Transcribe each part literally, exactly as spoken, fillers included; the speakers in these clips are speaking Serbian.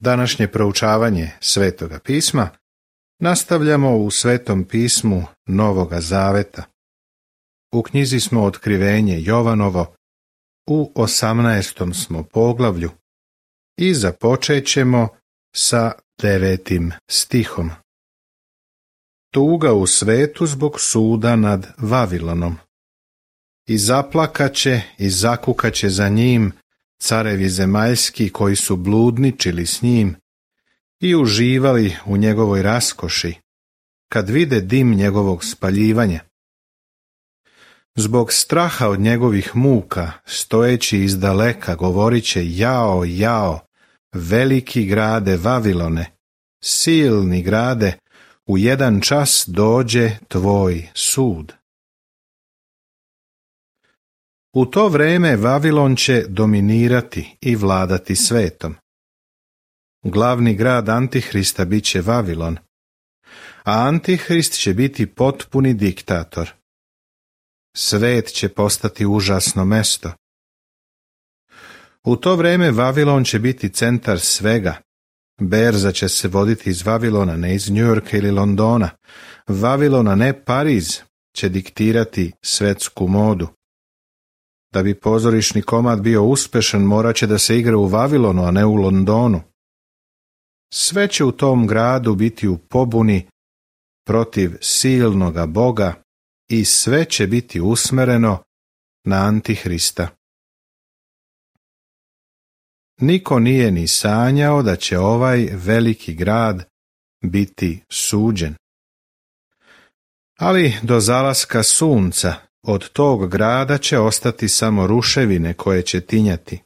Današnje proučavanje Svetoga pisma nastavljamo u Svetom pismu Novoga Zaveta. U knjizi smo Otkrivenje Jovanovo, u osamnaestom smo poglavlju i započet ćemo sa devetim stihom. Tuga u svetu zbog suda nad Vavilonom. I zaplakaće i zakukaće za njim carevi zemaljski koji su bludničili s njim i uživali u njegovoj raskoši, kad vide dim njegovog spaljivanja. Zbog straha od njegovih muka, stojeći izdaleka, govoriće: jao, jao, veliki grade Vavilone, silni grade, u jedan čas dođe tvoj sud. U to vreme Vavilon će dominirati i vladati svetom. Glavni grad Antihrista bit će Vavilon, a Antihrist će biti potpuni diktator. Svet će postati užasno mesto. U to vreme Vavilon će biti centar svega. Berza će se voditi iz Vavilona, ne iz Njujorka ili Londona. Vavilona, ne Pariz, će diktirati svetsku modu. Da bi pozorišni komad bio uspešan, morat će da se igra u Vavilonu, a ne u Londonu. Sve će u tom gradu biti u pobuni protiv silnoga Boga i sve će biti usmereno na Antihrista. Niko nije ni sanjao da će ovaj veliki grad biti suđen. Ali do zalaska sunca od tog grada će ostati samo ruševine koje će tinjati.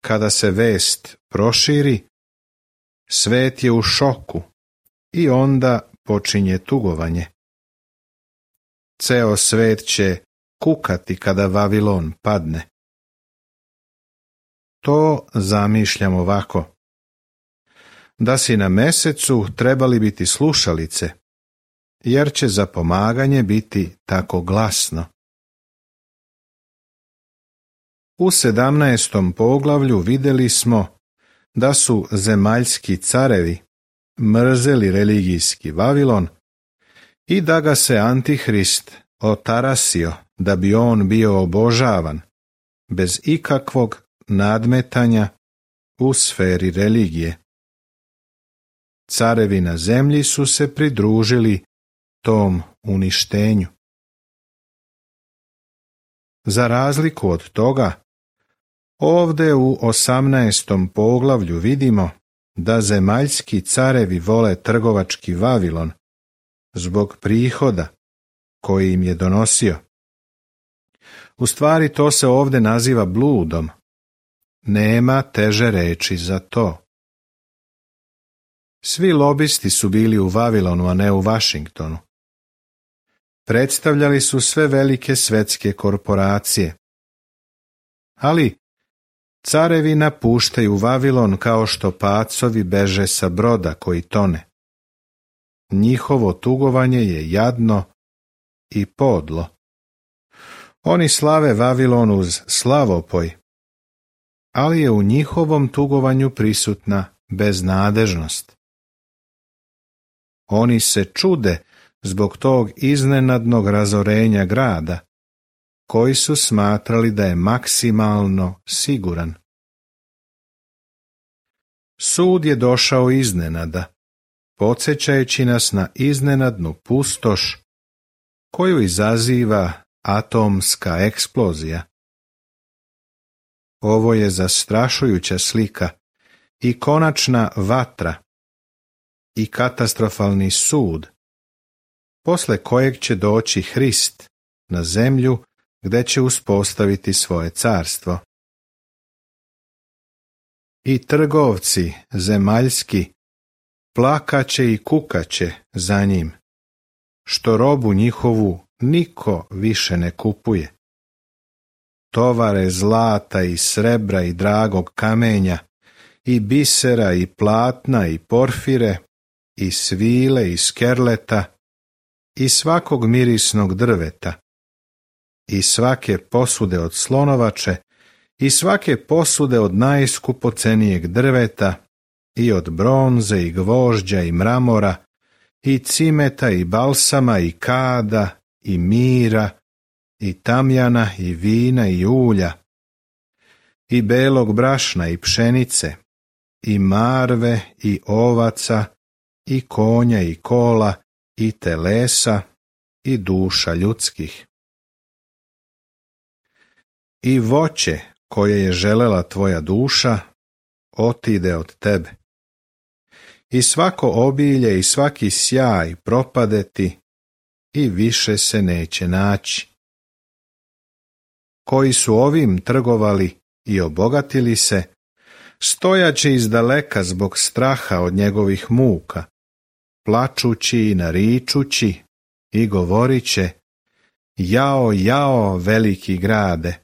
Kada se vest proširi, svet je u šoku i onda počinje tugovanje. Ceo svet će kukati kada Vavilon padne. To zamišljam ovako. Da si na mesecu trebali biti slušalice, jer će za pomaganje biti tako glasno. U sedamnaestom poglavlju vidjeli smo da su zemaljski carevi mrzeli religijski Vavilon i da ga se Antihrist otarasio da bi on bio obožavan, bez ikakvog nadmetanja u sferi religije. Carevi na zemlji su se pridružili tom uništenju. Za razliku od toga, ovdje u osamnaestom poglavlju vidimo da zemaljski carevi vole trgovački Vavilon zbog prihoda koji im je donosio. U stvari to se ovdje naziva bludom. Nema teže reči za to. Svi lobisti su bili u Vavilonu, a ne u Vašingtonu. Predstavljali su sve velike svetske korporacije. Ali carevi napuštaju Vavilon kao što pacovi beže sa broda koji tone. Njihovo tugovanje je jadno i podlo. Oni slave Vavilon uz slavopoj, ali je u njihovom tugovanju prisutna beznadežnost. Oni se čude zbog tog iznenadnog razorenja grada, koji su smatrali da je maksimalno siguran. Sud je došao iznenada, podsjećajući nas na iznenadnu pustoš koju izaziva atomska eksplozija. Ovo je zastrašujuća slika i konačna vatra i katastrofalni sud, posle kojeg će doći Hrist na zemlju gdje će uspostaviti svoje carstvo. I trgovci zemaljski plakaće i kukaće za njim, što robu njihovu niko više ne kupuje. Tovare zlata i srebra i dragog kamenja, i bisera i platna i porfire, i svile i skerleta, i svakog mirisnog drveta, i svake posude od slonovače, i svake posude od najskupocenijeg drveta, i od bronze i gvožđa i mramora, i cimeta i balsama i kada i mira i tamjana i vina i ulja, i belog brašna i pšenice, i marve i ovaca, i konja i kola, i telesa, i duša ljudskih. I voće koje je želela tvoja duša, otide od tebe. I svako obilje i svaki sjaj propade ti, i više se neće naći. Koji su ovim trgovali i obogatili se, stojaće izdaleka zbog straha od njegovih muka, plačući i naričući, i govoriće: jao, jao, veliki grade,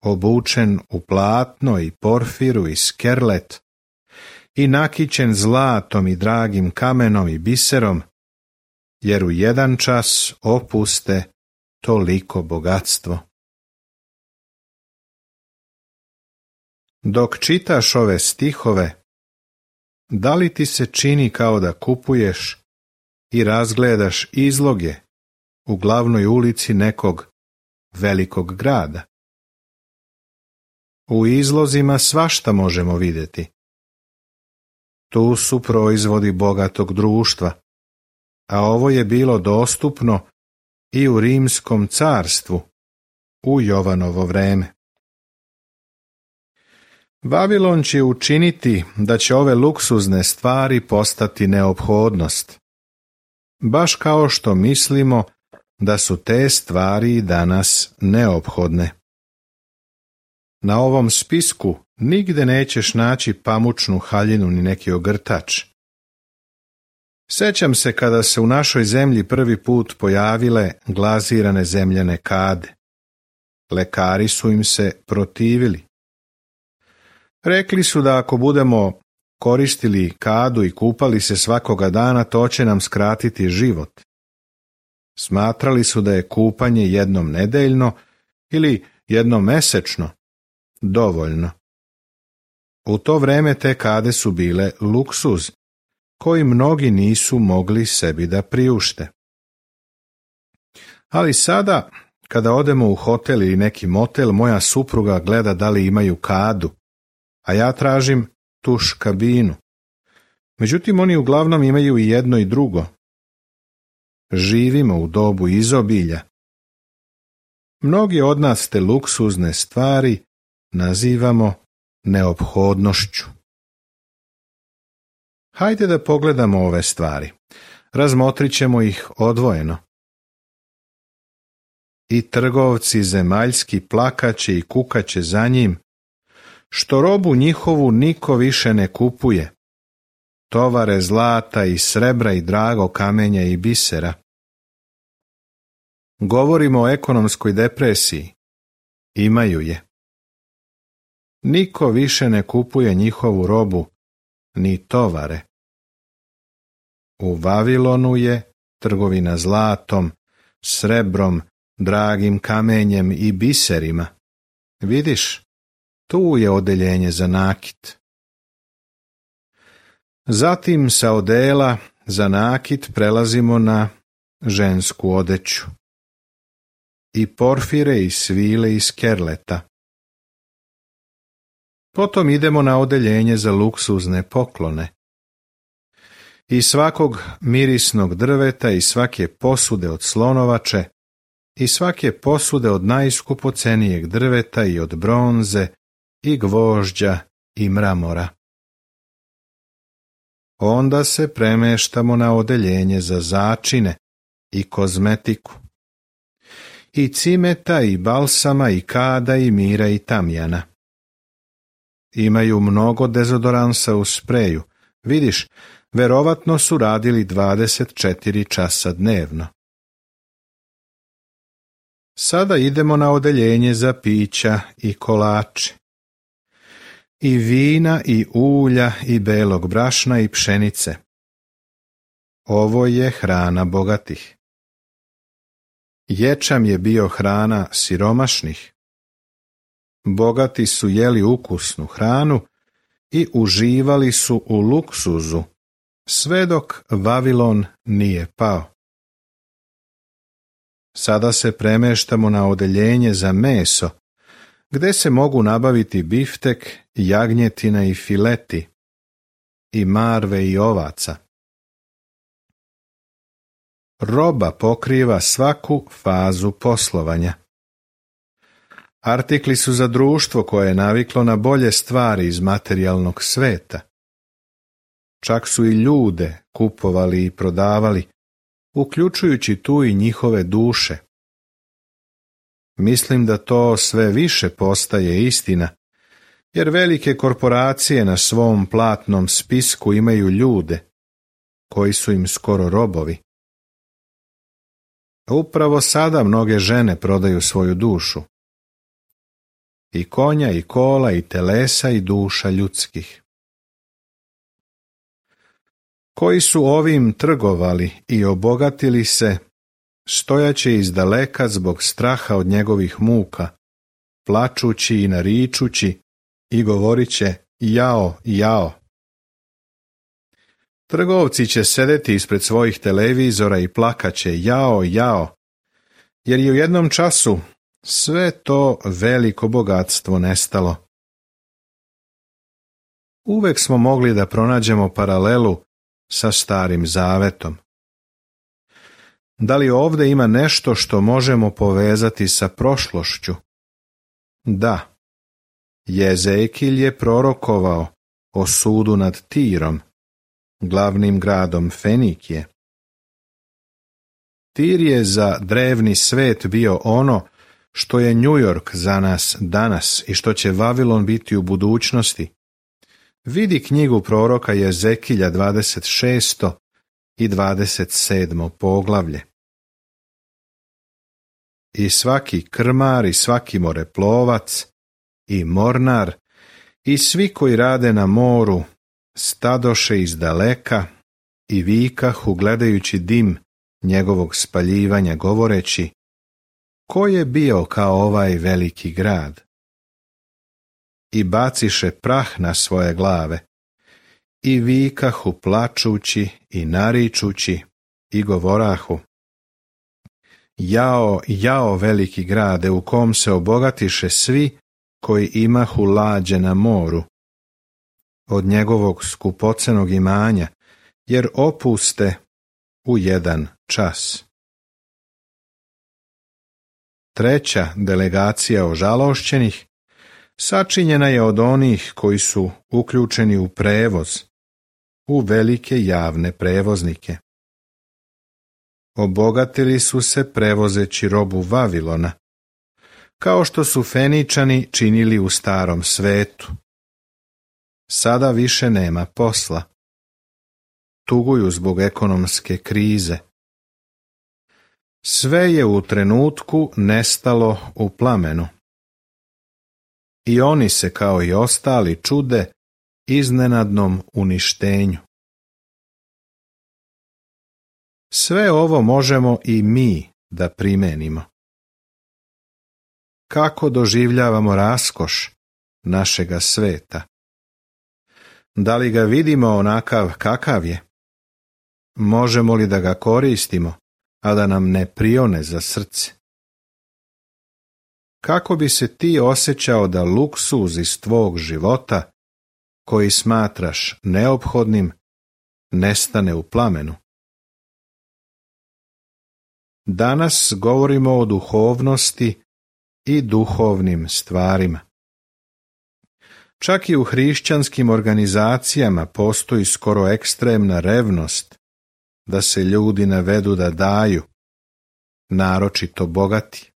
obučen u platno i porfiru i skerlet, i nakićen zlatom i dragim kamenom i biserom, jer u jedan čas opuste toliko bogatstvo. Dok čitaš ove stihove, da li ti se čini kao da kupuješ i razgledaš izloge u glavnoj ulici nekog velikog grada? U izlozima svašta možemo vidjeti. Tu su proizvodi bogatog društva, a ovo je bilo dostupno i u Rimskom carstvu u Jovanovo vreme. Vavilon će učiniti da će ove luksuzne stvari postati neophodnost, baš kao što mislimo da su te stvari danas neophodne. Na ovom spisku nigde nećeš naći pamučnu haljinu ni neki ogrtač. Sećam se kada se u našoj zemlji prvi put pojavile glazirane zemljane kade. Lekari su im se protivili. Rekli su da ako budemo koristili kadu i kupali se svakoga dana, to će nam skratiti život. Smatrali su da je kupanje jednom nedeljno ili jednom mesečno dovoljno. U to vreme te kade su bile luksuz, koji mnogi nisu mogli sebi da priušte. Ali sada, kada odemo u hotel ili neki motel, moja supruga gleda da li imaju kadu, a ja tražim tuš kabinu. Međutim, oni uglavnom imaju i jedno i drugo. Živimo u dobu izobilja. Mnogi od nas te luksuzne stvari nazivamo neophodnošću. Hajde da pogledamo ove stvari. Razmotrit ćemo ih odvojeno. I trgovci zemaljski plakaće i kukaće za njim, što robu njihovu niko više ne kupuje, tovare zlata i srebra i drago kamenja i bisera. Govorimo o ekonomskoj depresiji. Imaju je. Niko više ne kupuje njihovu robu, ni tovare. U Vavilonu je trgovina zlatom, srebrom, dragim kamenjem i biserima. Vidiš, tu je odeljenje za nakit. Zatim sa odela za nakit prelazimo na žensku odeću. I porfire i svile i skerleta. Potom idemo na odeljenje za luksuzne poklone. I svakog mirisnog drveta i svake posude od slonovače i svake posude od najskupocenijeg drveta i od bronze i gvožđa i mramora. Onda se premeštamo na odeljenje za začine i kozmetiku. I cimeta i balsama i kada i mira i tamjana. Imaju mnogo dezodoransa u spreju. Vidiš, verovatno su radili dvadeset četiri časa dnevno. Sada idemo na odeljenje za pića i kolače. I vina i ulja i belog brašna i pšenice. Ovo je hrana bogatih. Ječam je bio hrana siromašnih. Bogati su jeli ukusnu hranu i uživali su u luksuzu, sve dok Vavilon nije pao. Sada se premeštamo na odeljenje za meso, gdje se mogu nabaviti biftek, jagnjetina i fileti, i marve i ovaca. Roba pokriva svaku fazu poslovanja. Artikli su za društvo koje je naviklo na bolje stvari iz materijalnog sveta. Čak su i ljude kupovali i prodavali, uključujući tu i njihove duše. Mislim da to sve više postaje istina, jer velike korporacije na svom platnom spisku imaju ljude, koji su im skoro robovi. Upravo sada mnoge žene prodaju svoju dušu. I konja, i kola, i telesa, i duša ljudskih. Koji su ovim trgovali i obogatili se, stojaće izdaleka zbog straha od njegovih muka, plačući i naričući, i govorit će jao, jao. Trgovci će sedeti ispred svojih televizora i plakaće jao, jao, jer je u jednom času sve to veliko bogatstvo nestalo. Uvek smo mogli da pronađemo paralelu sa Starim Zavetom. Da li ovdje ima nešto što možemo povezati sa prošlošću? Da. Jezekilj je prorokovao o sudu nad Tirom, glavnim gradom Fenikije. Tir je za drevni svet bio ono što je New York za nas danas i što će Vavilon biti u budućnosti. Vidi knjigu proroka Jezekilja dvadeset šesto i dvadeset sedmo poglavlje. I svaki krmar i svaki moreplovac i mornar i svi koji rade na moru stadoše iz daleka i vikahu gledajući dim njegovog spaljivanja govoreći: ko je bio kao ovaj veliki grad? I baciše prah na svoje glave i vikahu plačući i naričući i govorahu: jao, jao veliki grade u kom se obogatiše svi koji imahu lađe na moru, od njegovog skupocenog imanja, jer opuste u jedan čas. Treća delegacija ožalošćenih sačinjena je od onih koji su uključeni u prevoz, u velike javne prevoznike. Obogatili su se prevozeći robu Vavilona, kao što su Feničani činili u Starom svetu. Sada više nema posla. Tuguju zbog ekonomske krize. Sve je u trenutku nestalo u plamenu. I oni se kao i ostali čude iznenadnom uništenju. Sve ovo možemo i mi da primenimo. Kako doživljavamo raskoš našega sveta? Da li ga vidimo onakav kakav je? Možemo li da ga koristimo, a da nam ne prione za srce? Kako bi se ti osjećao da luksuz iz tvog života, koji smatraš neophodnim, nestane u plamenu? Danas govorimo o duhovnosti i duhovnim stvarima. Čak i u hrišćanskim organizacijama postoji skoro ekstremna revnost da se ljudi navedu da daju, naročito bogati.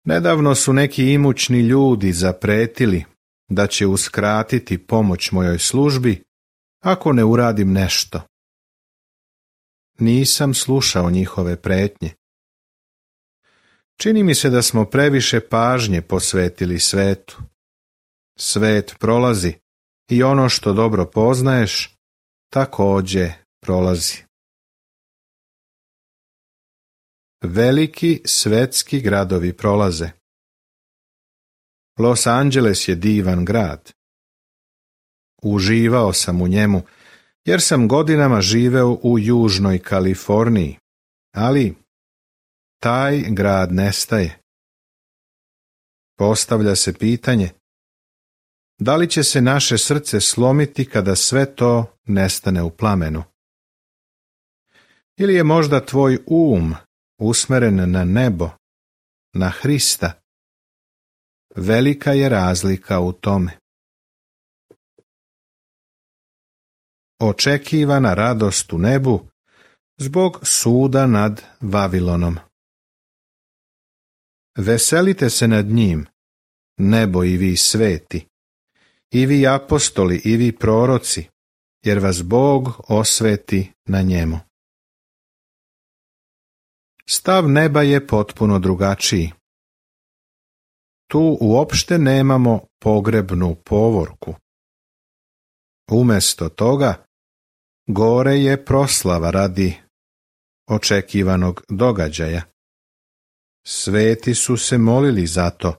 Nedavno su neki imućni ljudi zapretili da će uskratiti pomoć mojoj službi ako ne uradim nešto. Nisam slušao njihove pretnje. Čini mi se da smo previše pažnje posvetili svetu. Svet prolazi i ono što dobro poznaješ također prolazi. Veliki svetski gradovi prolaze. Los Angeles je divan grad. Uživao sam u njemu, jer sam godinama živeo u južnoj Kaliforniji, ali taj grad nestaje. Postavlja se pitanje, da li će se naše srce slomiti kada sve to nestane u plamenu? Ili je možda tvoj um usmeren na nebo, na Hrista? Velika je razlika u tome. Očekivana radost u nebu zbog suda nad Vavilonom. Veselite se nad njim, nebo i vi sveti, i vi apostoli i vi proroci, jer vas Bog osveti na njemu. Stav neba je potpuno drugačiji. Tu uopšte nemamo pogrebnu povorku. Umjesto toga, gore je proslava radi očekivanog događaja. Sveti su se molili za to.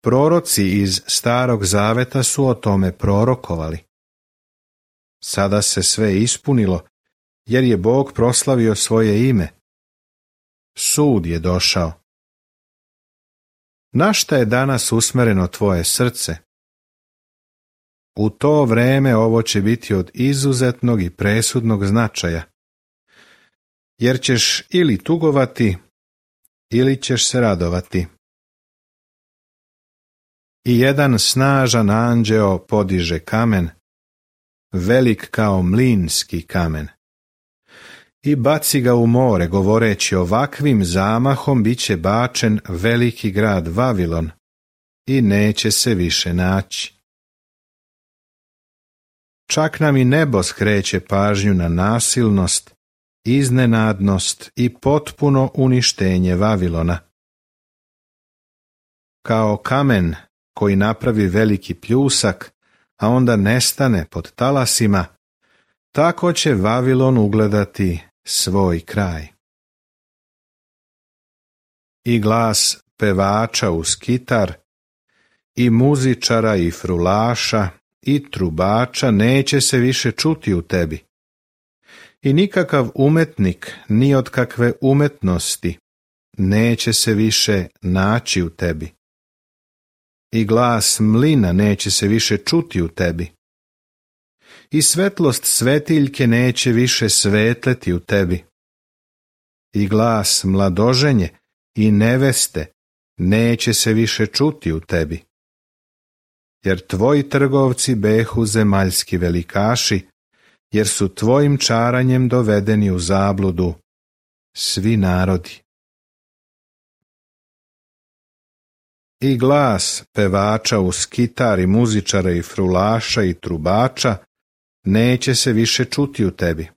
Proroci iz Starog Zaveta su o tome prorokovali. Sada se sve ispunilo, jer je Bog proslavio svoje ime. Sud je došao. Na šta je danas usmereno tvoje srce? U to vreme ovo će biti od izuzetnog i presudnog značaja, jer ćeš ili tugovati, ili ćeš se radovati. I jedan snažan anđeo podiže kamen, velik kao mlinski kamen, i baci ga u more, govoreći, ovakvim zamahom bit će bačen veliki grad Vavilon i neće se više naći. Čak nam i nebo skreće pažnju na nasilnost, iznenadnost i potpuno uništenje Vavilona. Kao kamen koji napravi veliki pljusak, a onda nestane pod talasima, tako će Vavilon ugledati svoj kraj. I glas pevača uz kitar, i muzičara i frulaša, i trubača neće se više čuti u tebi. I nikakav umetnik, ni od kakve umetnosti, neće se više naći u tebi. I glas mlina neće se više čuti u tebi. I svetlost svetiljke neće više svetleti u tebi. I glas mladoženje i neveste neće se više čuti u tebi. Jer tvoji trgovci behu zemaljski velikaši, jer su tvojim čaranjem dovedeni u zabludu svi narodi. I glas pevača uz kitar i muzičara i frulaša i trubača neće se više čuti u tebi.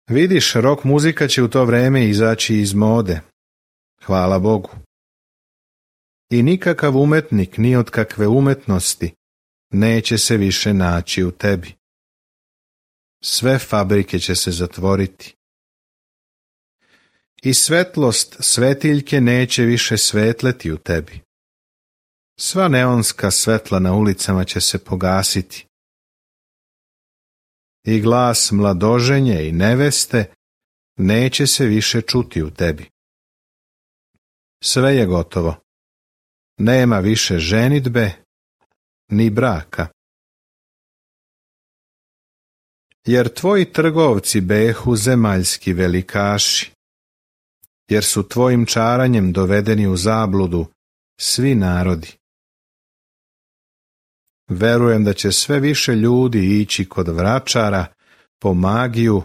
Vidiš, rock muzika će u to vreme izaći iz mode. Hvala Bogu. I nikakav umetnik ni od kakve umetnosti neće se više naći u tebi. Sve fabrike će se zatvoriti. I svetlost svetiljke neće više svetleti u tebi. Sva neonska svetla na ulicama će se pogasiti. I glas mladoženje i neveste neće se više čuti u tebi. Sve je gotovo. Nema više ženidbe ni braka. Jer tvoji trgovci behu zemaljski velikaši, jer su tvojim čaranjem dovedeni u zabludu svi narodi. Verujem da će sve više ljudi ići kod vračara po magiju,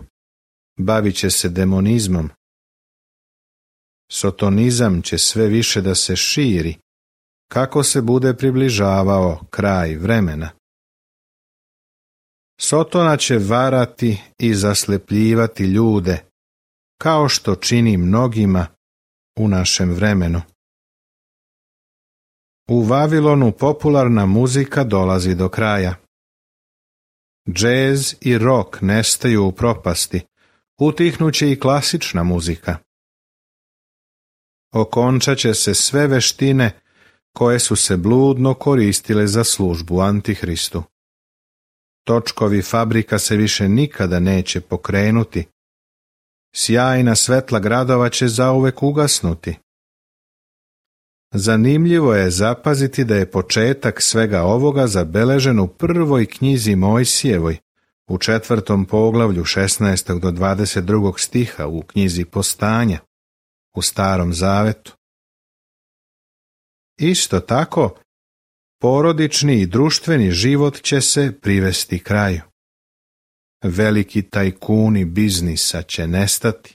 bavit će se demonizmom. Sotonizam će sve više da se širi, kako se bude približavao kraj vremena. Sotona će varati i zaslepljivati ljude, kao što čini mnogima u našem vremenu. U Vavilonu popularna muzika dolazi do kraja. Džez i rock nestaju u propasti, utihnuće i klasična muzika. Okončat će se sve veštine koje su se bludno koristile za službu Antihristu. Točkovi fabrika se više nikada neće pokrenuti. Sjajna svetla gradova će zauvek ugasnuti. Zanimljivo je zapaziti da je početak svega ovoga zabeležen u prvoj knjizi Mojsijevoj, u četvrtom poglavlju šesnaestog do dvadeset drugog stiha u knjizi Postanja, u Starom Zavetu. Isto tako, porodični i društveni život će se privesti kraju. Veliki tajkuni biznisa će nestati.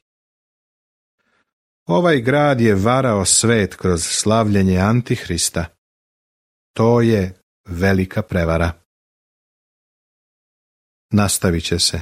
Ovaj grad je varao svet kroz slavljenje Antihrista. To je velika prevara. Nastavit će se